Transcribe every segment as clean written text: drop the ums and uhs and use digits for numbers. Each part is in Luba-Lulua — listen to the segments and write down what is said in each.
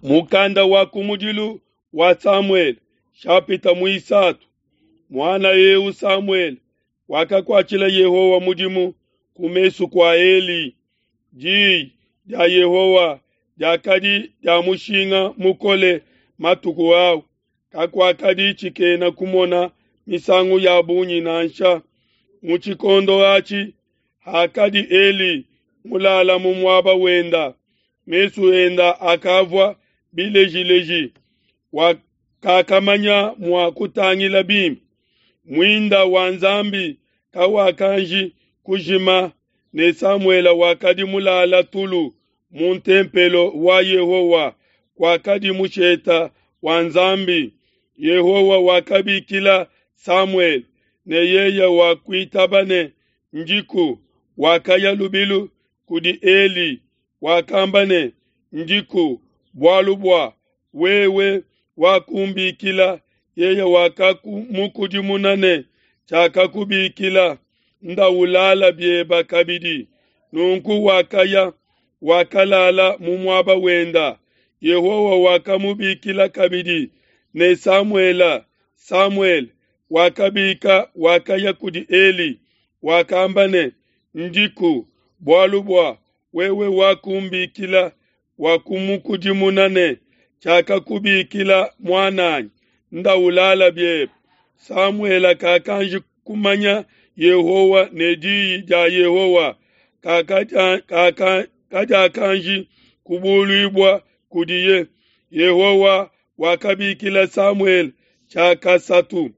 Mukanda wa kumudilu wa Samuele, shapita muisatu. Muana eu Samuele wakakuatshila Yehowa mudimu ku mesu kua Eli. Diyi dia Yehowa diakadi dia mushinga mukole matuku au, kakuakadi tshikena kumona misangu ya bungi nansha. Mu tshikondo atshi, hakadi Eli mulala mu muaba wenda, mesu enda akavua bilejileji, wakakamanya mua kutangila bimpe. Muinda wa Nzambi kawakanji kujima, ne Samuele wakadi mulala tulu mu ntempelo wa Yehowa, kuakadi musheta wa Nzambi. Yehowa wakabikila Samuele, ne yeye wakuitaba ne, Ndiku. Wakaya lubilu kudi Eli, wakamba ne, Ndiku, bualu bua wewe wakumbikila. Yeye wakamukudimuna ne, Tshiakakubikila, nda ulala bieba kabidi. Nunku wakaya, wakalala mu muaba wenda. Yehowa wakamubikila kabidi ne, Samuele, Samuele. Wakabika, wakaya kudi Eli, wakamba ne, Ndiku, bualu bua wewe wakumbikila. Wakumukudimuna ne, Tshiakakubikila muananyi, nda ulala biebe. Samuele kakanji kumanya Yehowa ne diyi dia Yehowa kadiakanji kubuluibua kudiye. Yehowa wakabikila Samuele tshiakasatu.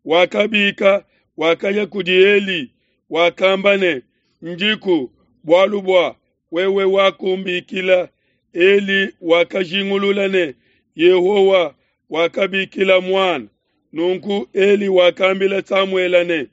Wakabika, wakaya kudi Eli, wakamba ne, Ndiku, bualu bua wewe wakumbikila. Eli wakajingulula ne, Yehowa wakabikila muana. Nunku Eli wakambila Samuele ne,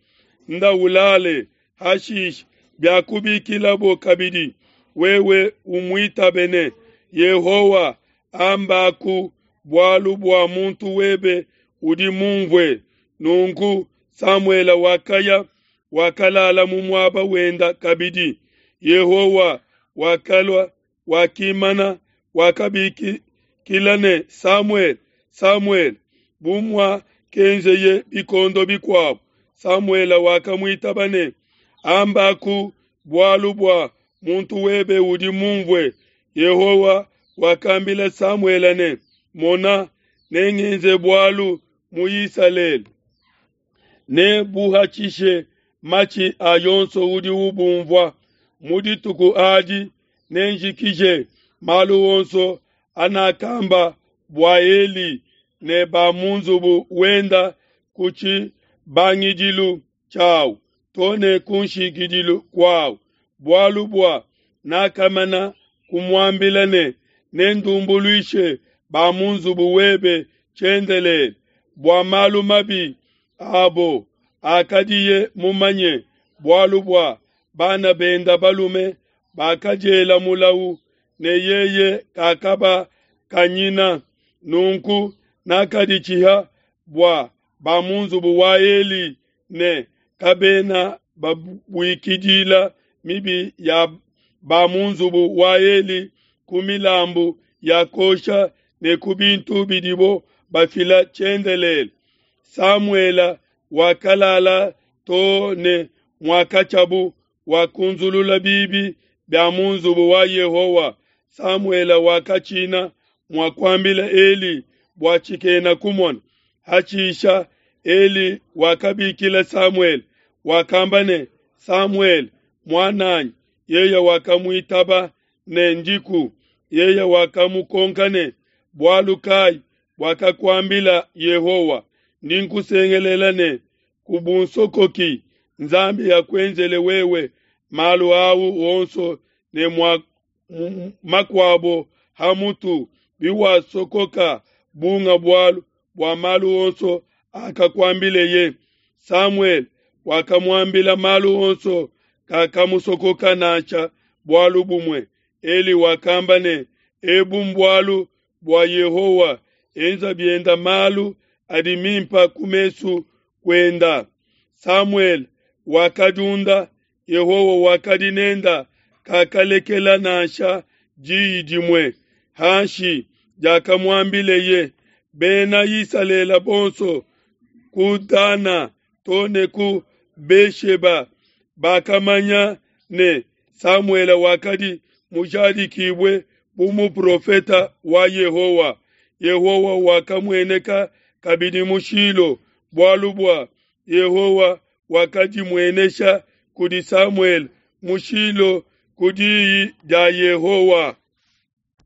Nda ulale, hashishe biakubikilabo kabidi, wewe umuitabe ne, Yehowa ambaku, bualu bua muntu webe udi mumvue. Nunku Samuele wakaya, wakalala mu muaba wenda kabidi. Yehowa wakalua, wakimana, wakabikila ne, Samuele, Samuele. Bu muakenzeye bikondo bikuabo, Samuele wakamuitaba ne, Ambaku, bualu bua muntu webe udi mumvue. Yehowa wakambila Samuele ne, Mona, nengenze bualu mu Isalele, nebuhatshishe matshi a yonso udi ubumvua. Mu dituku adi nenjikije malu onso anakamba bua Eli ne ba mu nzubu wenda ku tshibangidilu tshiawu to ne ku nshikidilu kuawu, bualu bua nakamana kumuambila ne, nendumbuluishe ba mu nzubu webe tshiendelele bua malu mabi abo akadiye mumanye, bualu bua bana benda balume bakadiela mulawu, ne yeye kakabakanyina. Nunku nakaditshiha bua ba mu nzubu wa Eli ne kabena babuikidila mibi ya ba mu nzubu wa Eli ku milambu ya kosha ne ku bintu bidibo bafila tshiendelele. Samuele wakalala to ne muakatshiabu, wakunzulula bibi bia mu nzubu wa Yehowa. Samuele wakatshina mua kuambila Eli bua tshikena kumona. Hashisha Eli wakabikila Samuele, wakamba ne, Samuele, muananyi. Yeye wakamuitaba ne, Ndiku. Yeye wakamukonka ne, Bualu kai buakakuambila Yehowa? Ndi nkusengelela ne, kubunsokoki. Nzambi akuenzele wewe malu au onso ne makuabo ha mutu, biwasokoka bunga bualu bua malu onso akakuambileye. Samuele wakamuambila malu onso, kakamusokoka nansha bualu bumue. Eli wakamba ne, Ebu mbualu bua Yehowa, enza bienda malu adi mimpa ku mesu kuenda. Samuele wakadiunda, Yehowa wakadi nenda, kakalekela nansha diyi dimue hanshi. diakamuambileye. Bena Isalele bonso, ku Dana to ne ku Be-sheba, bakamanya ne, Samuele wakadi mujadikibue bu muprofete wa Yehowa. Yehowa wakamueneka kabidi mu Shilo, bualu bua Yehowa wakadimuenesha kudi Samuele mu Shilo ku diyi dia Yehowa.